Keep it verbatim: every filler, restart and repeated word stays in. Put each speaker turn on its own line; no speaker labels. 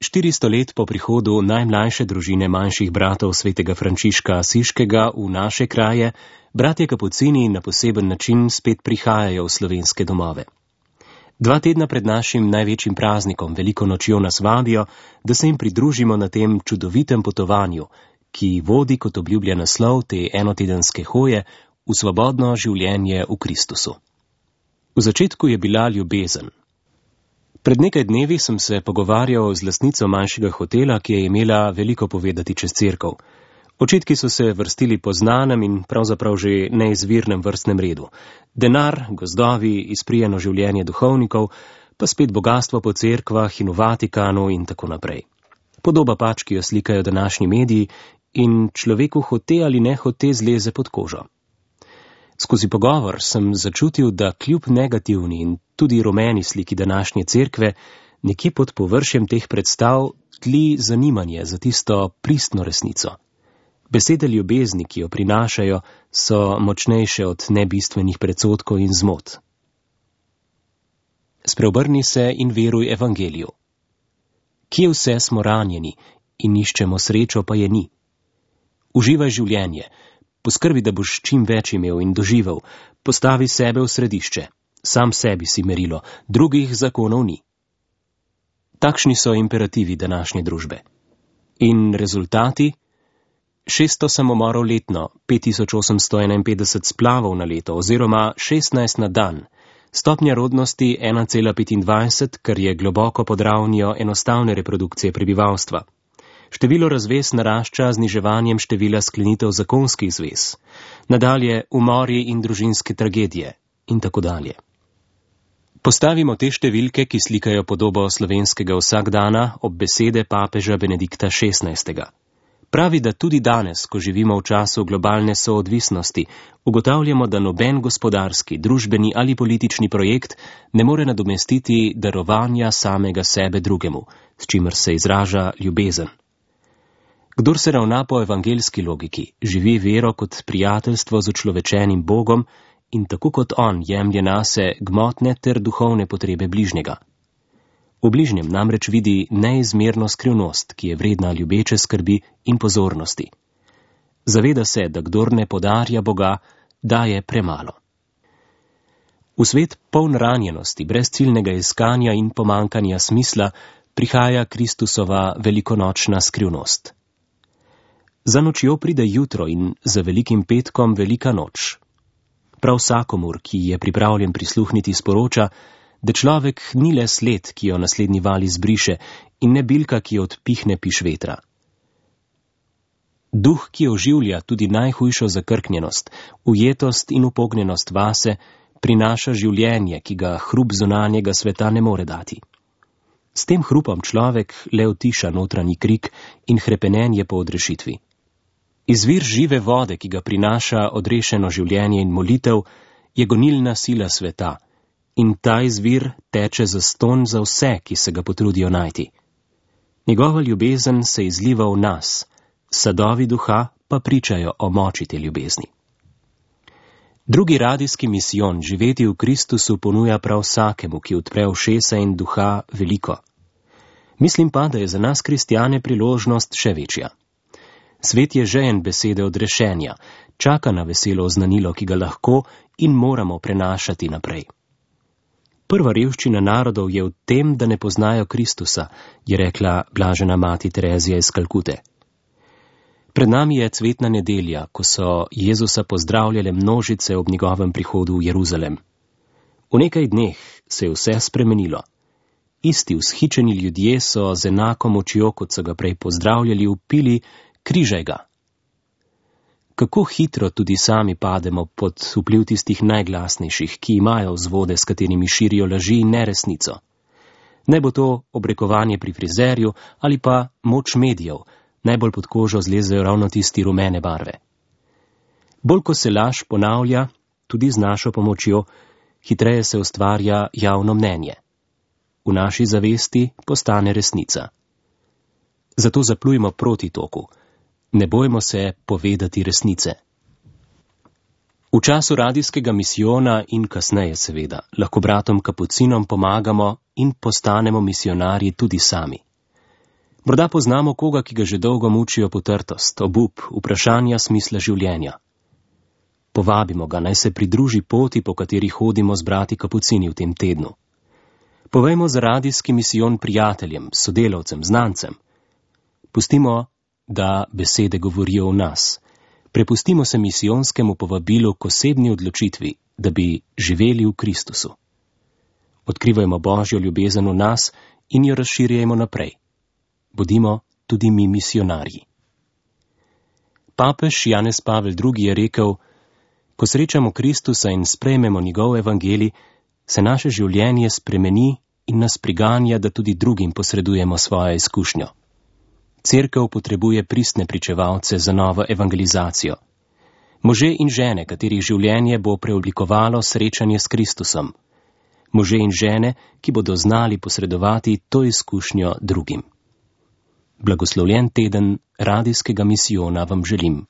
Štiristo let po prihodu najmlajše družine manjših bratov svetega Frančiška Asiškega v naše kraje, bratje kapucini na poseben način spet prihajajo v slovenske domove. Dva tedna pred našim največjim praznikom, veliko nočjo, nas vabijo, da se jim pridružimo na tem čudovitem potovanju, ki vodi kot obljublja naslov te enotedenske hoje v svobodno življenje v Kristusu. V začetku je bila ljubezen. Pred nekaj dnevi sem se pogovarjal z lastnico manjšega hotela, ki je imela veliko povedati čez cerkev. Očitki so se vrstili po znanem in pravzaprav že neizvirnem vrstnem redu. Denar, gozdovi, izprijeno življenje duhovnikov, pa spet bogastvo po cerkvah in v Vatikanu in tako naprej. Podoba pač, ki jo slikajo današnji mediji in človeku hote ali ne hote zleze pod kožo. Skozi pogovor sem začutil, da kljub negativni in tudi rumeni sliki današnje cerkve, nekje pod površjem teh predstav tli zanimanje za tisto pristno resnico. Besede ljubezni, ki jo prinašajo, so močnejše od nebistvenih predsodkov in zmot. Spreobrni se in veruj evangeliju. Kje vse smo ranjeni in iščemo srečo, pa je ni. Uživaj življenje. Poskrbi, da boš čim več imel in doživel, postavi sebe v središče, sam sebi si merilo, drugih zakonov ni. Takšni so imperativi današnje družbe. In rezultati? šeststo samomorov letno, pet tisoč osemsto enainpetdeset splavov na leto oziroma šestnajst na dan, stopnja rodnosti ena cela petindvajset, kar je globoko pod ravnijo enostavne reprodukcije prebivalstva. Število razvez narašča z zniževanjem števila sklenitev zakonskih zvez, nadalje umori in družinske tragedije in tako dalje. Postavimo te številke, ki slikajo podobo slovenskega vsakdana, ob besede papeža Benedikta šestnajstega. Pravi, da tudi danes, ko živimo v času globalne soodvisnosti, ugotavljamo, da noben gospodarski, družbeni ali politični projekt ne more nadomestiti darovanja samega sebe drugemu, s čimer se izraža ljubezen. Kdor se ravna po evangeljski logiki, živi vero kot prijateljstvo z učlovečenim Bogom in tako kot on jemlje nase gmotne ter duhovne potrebe bližnjega. V bližnjem namreč vidi neizmerno skrivnost, ki je vredna ljubeče skrbi in pozornosti. Zaveda se, da kdor ne podarja Boga, daje premalo. V svet poln ranjenosti, brez ciljnega iskanja in pomankanja smisla, prihaja Kristusova velikonočna skrivnost. Za nočjo pride jutro in za velikim petkom velika noč. Prav vsakomur, ki je pripravljen prisluhniti, sporoča, da človek ni le sled, ki jo naslednji val izbriše, in ne bilka, ki jo odpihne piš vetra. Duh, ki oživlja tudi najhujšo zakrknjenost, ujetost in upognjenost vase, prinaša življenje, ki ga hrup zunanjega sveta ne more dati. S tem hrupom človek le utiša notranji krik in hrepenenje po odrešitvi. Izvir žive vode, ki ga prinaša odrešeno življenje in molitev, je gonilna sila sveta in ta izvir teče zastonj za vse, ki se ga potrudijo najti. Njegova ljubezen se izliva v nas, sadovi duha pa pričajo o moči te ljubezni. Drugi radijski misijon živeti v Kristusu ponuja prav vsakemu, ki odpre ušesa in duha veliko. Mislim pa, da je za nas kristjane priložnost še večja. Svet je žejen besede odrešenja, čaka na veselo oznanilo, ki ga lahko in moramo prenašati naprej. Prva revščina narodov je v tem, da ne poznajo Kristusa, je rekla blažena mati Terezija iz Kalkute. Pred nami je cvetna nedelja, ko so Jezusa pozdravljale množice ob njegovem prihodu v Jeruzalem. V nekaj dneh se je vse spremenilo. Isti vzhičeni ljudje so z enako močjo, kot so ga prej pozdravljali, vpili: križaj ga. Kako hitro tudi sami pademo pod vpliv tistih najglasnejših, ki imajo vzvode, s katerimi širijo laži in neresnico. Naj bo to obrekovanje pri frizerju ali pa moč medijev, najbolj pod kožo zlezejo ravno tisti rumene barve. Bolj ko se laž ponavlja, tudi z našo pomočjo, hitreje se ustvarja javno mnenje. V naši zavesti postane resnica. Zato zaplujmo proti toku. Ne bojmo se povedati resnice. V času radijskega misijona in kasneje seveda lahko bratom kapucinom pomagamo in postanemo misionarji tudi sami. Morda poznamo koga, ki ga že dolgo mučijo potrtost, obup, vprašanja smisla življenja. Povabimo ga, naj se pridruži poti, po kateri hodimo z brati kapucini v tem tednu. Povejmo za radijski misijon prijateljem, sodelavcem, znancem. Pustimo, da besede govorijo v nas. Prepustimo se misijonskemu povabilu k osebni odločitvi, da bi živeli v Kristusu. Odkrivajmo Božjo ljubezen v nas in jo razširjajmo naprej. Bodimo tudi mi misijonarji. Papež Janez Pavel drugi. Je rekel: ko srečamo Kristusa in sprejmemo njegov evangelij, se naše življenje spremeni in nas priganja, da tudi drugim posredujemo svojo izkušnjo. Cerkev potrebuje pristne pričevalce za novo evangelizacijo. Može in žene, katerih življenje bo preoblikovalo srečanje s Kristusom. Može in žene, ki bodo znali posredovati to izkušnjo drugim. Blagoslovljen teden radijskega misijona vam želim.